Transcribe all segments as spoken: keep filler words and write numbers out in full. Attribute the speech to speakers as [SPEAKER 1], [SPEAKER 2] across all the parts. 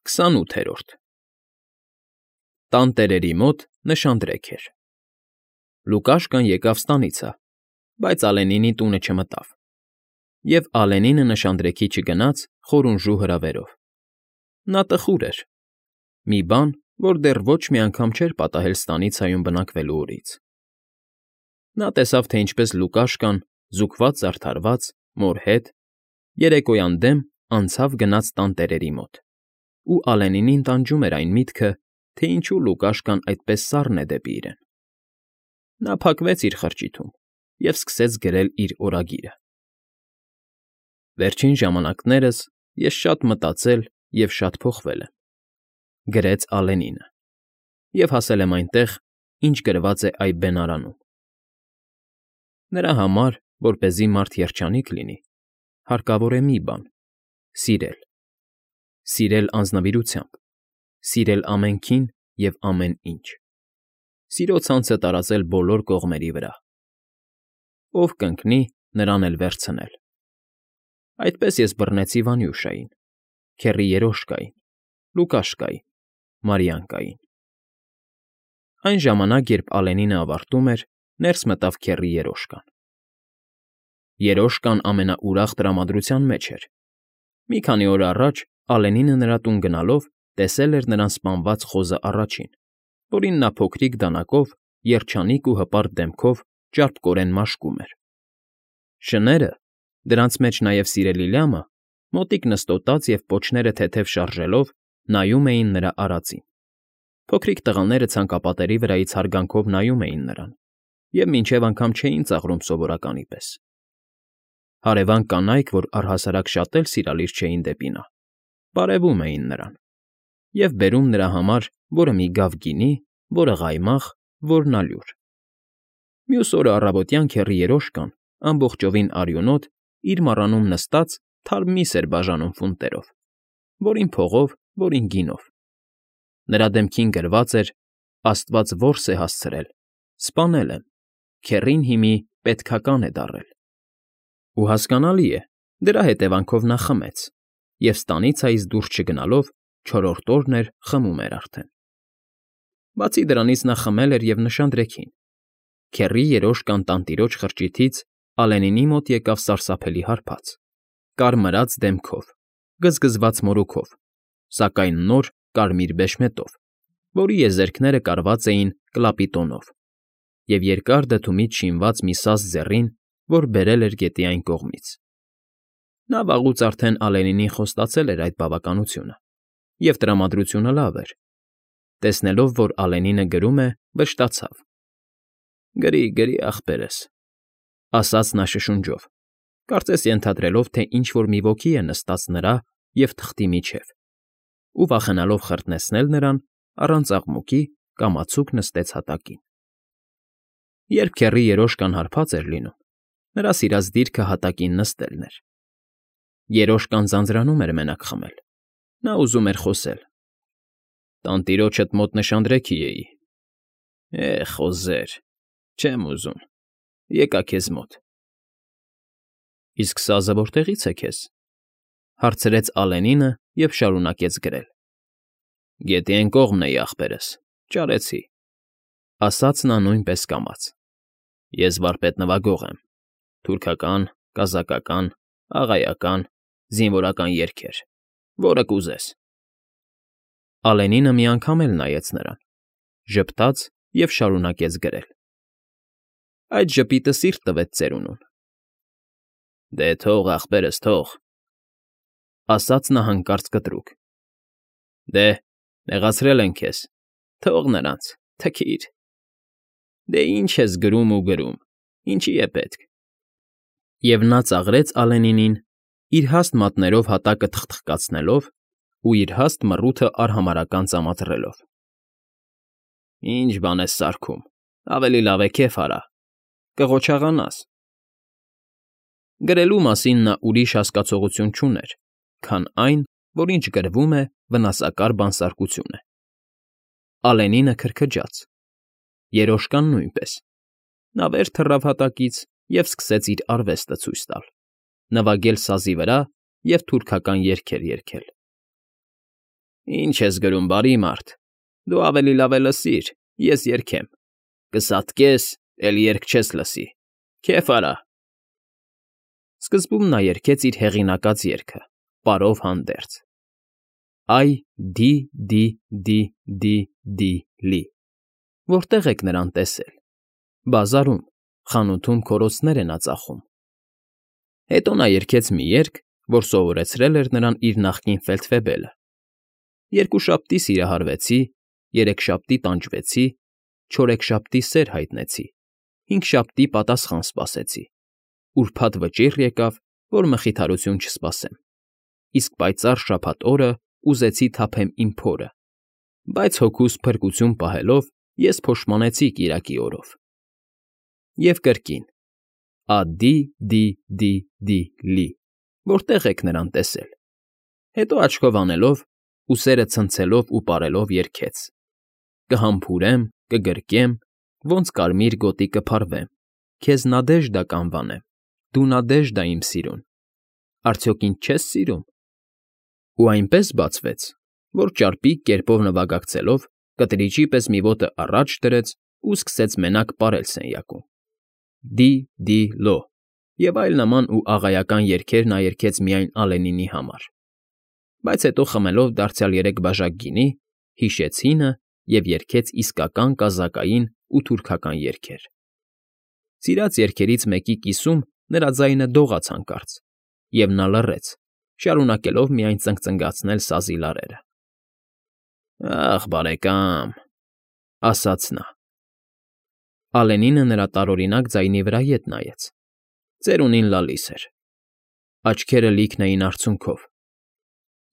[SPEAKER 1] Քսանութերորդ Տանտերերի մոտ նշանдрեք էր։ Լուկաշկան եկավ ստանիցը, բայց Ալենինի տունը չմտավ, և Ալենինը նշանдрեքի չգնաց խորունժու հրավերով. նա տխուր էր, մի բան, որ դեռ ոչ մի անգամ չէր պատահել ստանիցայում բնակվելու օրից։ Նա տեսավ, թե ինչպես Լուկաշկան, զուգված֊զարդարված, մոր հետ, երեկոյան դեմ անցավ գնաց տանտերերի մոտ, ու Ալենինին տանջում էր այն միտքը, թե ինչու Լուկաշկան այդպես սառն է դեպի իրեն։ Նա փակվեց իր խրճիթում և սկսեց գրել իր օրագիրը. «Վերջին ժամանակներս ես շատ մտածել և շատ փոխվել եմ», գրեց Ալենինը, «և հասել եմ այնտեղ, ինչ գրված է այ բենարանում։ Նրա համար, որպեսզի մարդ երջանիկ լինի, հարկավոր է մի բան՝ սիրել, սիրել անձնվիրությամբ, սիրել ամենքին և ամեն ինչ, սիրո ցանցը տարածել բոլոր կողմերի վրա։ Ով կընկնի, նրան էլ վերցնել։ Այդպես ես բռնեցի Վանյուշային, քեռի Երոշկային, Լուկաշկային, Մարիանկային»։ Այն ժամանակ, երբ Ալենինը ավարտում էր, ներս մտավ քեռի Երոշկան։ Երոշկան ամենաուրախ տրամադրության մեջ էր։ Մի քանի օր առաջ Ալենինը նրա տուն գնալով տեսել էր նրան սպանված խոզը առաջին, որին նա փոքրիկ դանակով, երջանիկ ու հպարտ դեմքով ճարպկորեն մաշկում էր։ Շները, դրանց մեջ նաև սիրելի լյամը, մոտիկ նստոտած և պոչները թեթև շարժելով, նայում էին նրա արածին։ Փոքրիկ տղաները ցանկապատերի վրայից հարգանքով նայում էին նրան և մինչև անգամ չէին ծաղրում սովորականի պես։ Հարևան կանայք, որ առհասարակ շատ էլ սիրալիր չէին դեպի նա, բարևում էին նրան և բերում նրա համար որը մի գավ գինի, որը ղայմաղ, որն ալյուր։ Մյուս օրը առավոտյան քեռի Երոշկան, ամբողջովին արյունոտ, իր մառանում նստած թարմ միս էր բաժանում ֆունտերով, որին փողով, որին գինով։ Նրա դեմքին գրված էր. «Աստված որս է հասցրել, սպանել եմ, քեռին հիմի պետքական է դառել»։ Ու հասկանալի է, դրա հետևանքով նա խմեց և ստանիցայից դուրս չգնալով չորրորդ օրն էր խմում էր արդեն։ Բացի դրանից նա խմել էր և նշանдрեքին։ Քեռի Երոշկան տանտիրոջ խրճիթից Ալենինի մոտ եկավ սարսափելի հարբած, կարմրած դեմքով, գզգզված մորուքով, սակայն նոր կարմիր բեշմետով, որի եզերքները կարված էին կլապի տոնով, և երկար դդումից շինված մի սաց ձեռին, որ բերել էր գետի այն կողմից։ Նա վաղուց արդեն Ալենինին խոստացել էր այդ բավականությունը, և տրամադրությունը լավ էր։ Տեսնելով, որ Ալենինը գրում է, վշտացավ. «Գրի, գրի, ախպերս», ասաց նա շշունջով, կարծես ենթադրելով, թե ինչ֊որ մի ոգի է նստած նրա և թղթի միջև, ու վախենալով խրտնեցնել նրան, առանց աղմուկի կամացուկ նստեց հատակին։ Երբ քեռի Երոշկան հարբած էր լինում, նրա սիրած դիրքը հատակին նստելն էր։ Երոշկան ձանձրանում էր մենակ խմել։ Նա ուզում էր խոսել. «Տանտիրոջդ մոտ նշանдрեքի էի։ Է՜, խոզեր, չեմ ուզում, եկա քեզ մոտ»։ «Իսկ սազը որտեղից է քեզ»։ Հարցրեց Ալենինը և շարունակեց գրել. «Գետի էն կողմն էի, ախպերս, ճարեցի», ասաց նա նույնպես կամաց։ «Ես վարպետ նվագող եմ, թուրքական, կազակական, աղայական, զինվորական երգեր, որը կուզես»։ Ալենինը մի անգամ էլ նայեց նրան, ժպտաց և շարունակեց գրել. «Այդ ժպիտը սիրտ տվեց ծերունուն»։ «Դե թող, ախպերս, թող», ասաց նա հանկարծ կտրուկ։ «Դե, նեղացրել են քեզ, թող նրանց, թքիր։ Դե ինչ ես գրում ու գրում, ինչի է պետք»։ Եվ նա ծաղրեց Ալենինին, իր հաստ մատներով հատակը թխթխկացնելով ու իր հաստ մռութը արհամարհական ծամաթռելով։ «Ի՞նչ բան ես սարքում, ավելի լավ է քեֆ արա, կղոչաղանաս»։ Գրելու մասին նա ուրիշ հասկացողություն չուներ, քան այն, որ ինչ գրվում է, վնասակար բանսարկություն է։ Ալենինը քրքջաց, Երոշկան նույնպես։ Նա վեր թռավ հատակից և սկսեց իր արվեստը ցույց տալ, նվագել սազի վրա և թուրքական երգեր երգել։ Ինչ ես գրում, բարի մարդ, դու ավելի լավ է լսիր, ես երգեմ, կսատկես, էլ երգ չես լսի, քեֆ արա… Սկզբում նա երգեց իր հեղինակած երգը՝ պարով հանդերձ. Այ դի դի դի դի դի լի… Որտե՞ղ եք նրան տեսել… Բազարում, խանութում քորոցներ է նա ծախում… Հետո նա երգեց մի երգ, որ սովորեցրել էր նրան իր նախկին ֆելդֆեբելը. Երկուշաբթի սիրահարվեցի, երեքշաբթի տանջվեցի, չորեքշաբթի սեր հայտնեցի, հինգշաբթի պատասխան սպասեցի, ուրբաթ վճիռ եկավ, որ մխիթարություն չսպասեմ, իսկ պայծառ շաբաթ օրը ուզեցի թափեմ իմ փորը, բայց հոգուս փրկություն պահելով ես փոշմանեցի կիրակի օրով… Եվ կրկին. ադի դի դի դի լի… Որտե՞ղ եք նրան տեսել… Հետո աչքով անելով, ուսերը ցնցելով ու պարելով երգեց. Կհամբուրեմ, կգրկեմ, ոնց կարմիր գոտի կփարվեմ, քեզ Նադեժդա կանվանեմ, դու Նադեժդա իմ սիրուն, արդյոք ինձ չես սիրում… Ու այնպես բացվեց, որ ճարպիկ կերպով նվագակցելով կտրիճի պես մի ոտը առաջ դրեց ու սկսեց մենակ պարել սենյակում. Դի դի լո… և այլ նման ու աղայական երգեր նա երգեց միայն Ալենինի համար, բայց հետո խմելով դարձյալ երեք բաժակ գինի, հիշեց հինը և երգեց իսկական կազակային ու թուրքական երգեր… Սիրած երգերից մեկի կիսում նրա ձայնը դողաց հանկարծ, և նա լռեց, շարունակելով միայն ծնկծնգացնել սազի լարերը։ Ախ, բարեկամ,֊ ասաց նա… Ալենինը նրա տարօրինակ ձայնի վրա ետ նայեց, ծերունին լալիս էր, աչքերը լիքն էին արցունքով,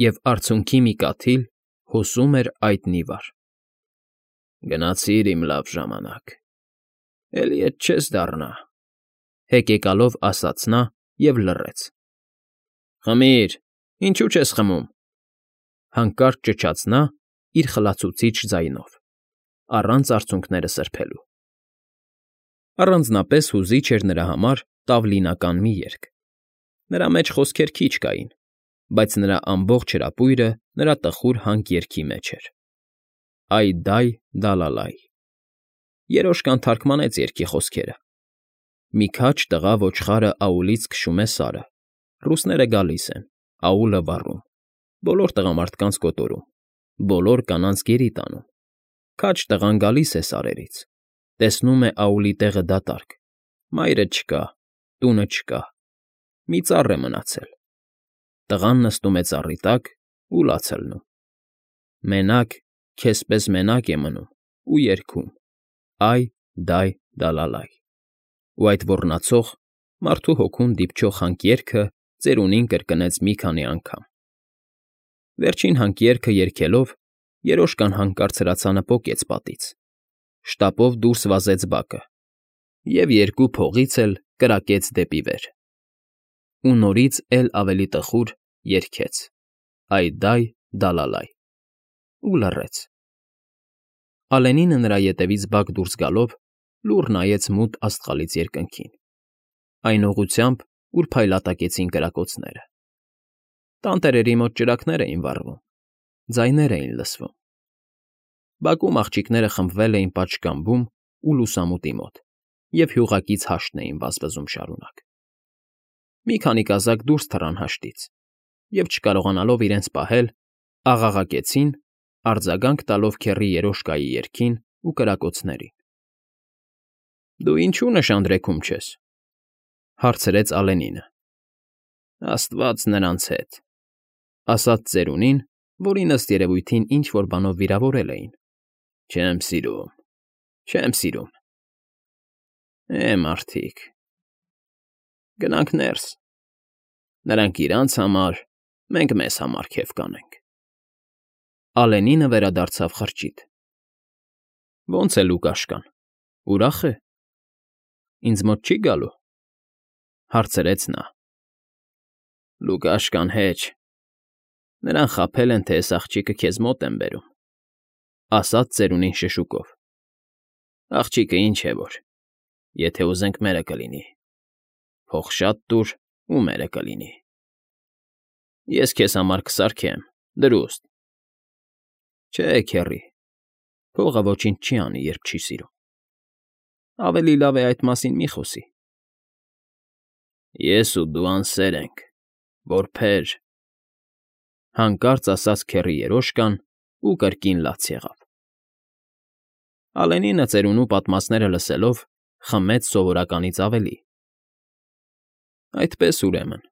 [SPEAKER 1] և արցունքի մի կաթիլ հոսում էր այտնի վար։ Գնացիր, իմ լավ ժամանակ, էլի ետ չես դառնա,֊ հեկեկալով ասաց նա և լռեց։ Խմիր, ինչու չես խմում,֊ հանկարծ ճչաց նա իր խլացուցիչ ձայնով, առանց արցունքները սրբելու… Առանձնապես հուզիչ էր նրա համար տավլինական մի երգ. նրա մեջ խոսքեր քիչ կային, բայց նրա ամբողջ հրապույրը նրա տխուր հանք երգի մեջ էր. Այ֊դայ, դալալայ… Երոշկան թարգմանեց երգի խոսքերը. Մի քաջ տղա ոչխարը աուլից քշում է սարը, ռուսները գալիս են, աուլը վառում, բոլոր տղամարդկանց կոտորում, բոլոր կանանց գերի տանում, քաջ տղան գալիս է սարերից, տեսնում է աուլի տեղը դատարկ, մայրը չկա, տունը չկա, մի ծառ է մնացել, տղան նստում է ծառի տակ ու լաց է լնում, մենակ, քեզ պես մենակ է մնում ու երգում. Այ֊դայ, դալալայ… Ու այդ ոռնացող, մարդու հոգուն դիպչող հանքերգը ծերունին կրկնեց մի քանի անգամ… Վերջին հանքերգը երգելով երոշկան հանկարծ հրացանը պոկեց պատից, շտապով դուրս վազեց բակը և երկու փողից էլ կրակեց դեպի վեր… Ու նորից էլ ավելի տխուր երգեց. Այ֊դայ, դալալայ… ու լռեց… Ալենինը նրա ետևից բակ դուրս գալով լուռ նայեց մութ աստղալից երկնքին, այն ուղղությամբ, ուր փայլատակեցին կրակոցները… Տանտերերի մոտ ճրագներ էին վառվում, ձայներ էին լսվում… Բակում աղջիկները խմբվել էին պատշգամբում ու լուսամուտի մոտ և հյուղակից հաշտն էին վազվզում շարունակ… Մի քանի կազակ դուրս թռան հաշտից և, չկարողանալով իրենց պահել, աղաղակեցին, արձագանք տալով քեռի երոշկայի երգին ու կրակոցներին։ ֊ Դու ինչո՞ւ նշանдрեքում չես,֊ հարցրեց Ալենինը։ ֊ Աստված նրանց հետ,֊ ասաց ծերունին, որին, ըստ երևույթին, ինչ֊որ բանով վիրավորել էին,֊ չեմ սիրում, չեմ սիրում… Է, մարդիկ… Գնանք ներս, նրանք իրանց համար, մենք մեզ համար քեֆ կանենք… Ալենինը վերադարձավ խրճիթ։ Ո՞նց է Լուկաշկան, ուրախ է՞… Ինձ մոտ չի՞ գալու,֊ հարցրեց նա։ Լուկաշկան հեչ… Նրան խաբել են, թե էս աղջիկը քեզ մոտ եմ բերում,֊ ասաց ծերունին շշուկով։ Աղջիկը ինչ է որ, եթե ուզենք մերը կլինի, փող շատ տուր ու մերը կլինի… Ես քեզ համար կսարքեմ, դրուստ, Չէ, քեռի, փողը ոչինչ չի անի, երբ չի սիրում։ Ավելի լավ է այդ մասին մի խոսի։ Ես ու դու անսեր ենք, որբեր,֊ հանկարծ ասաց քեռի երոշկան ու կրկին լաց եղավ։ Ալենինը ծերունու պատմածները լսելով խմեց սովորականից ավելի։ «Այդպես, ուրեմն,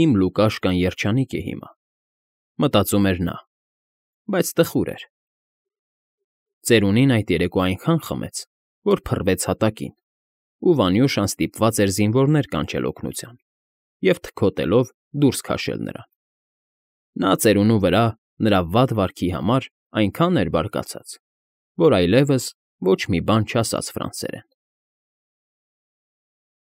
[SPEAKER 1] իմ Լուկաշկան երջանիկ է հիմա,֊ մտածում էր նա,֊ բայց տխուր էր։ Ծերունին այդ երեկո այնքան խմեց, որ փռվեց հատակին, ու Վանյուշան ստիպված էր զինվորներ կանչել օգնության և թքոթելով դուրս քաշել նրան։ Նա ծերունու վրա նրա վատ վարքի համար այնքան էր բարկացած, որ այլևս ոչ մի բան չասաց ֆրանսերեն։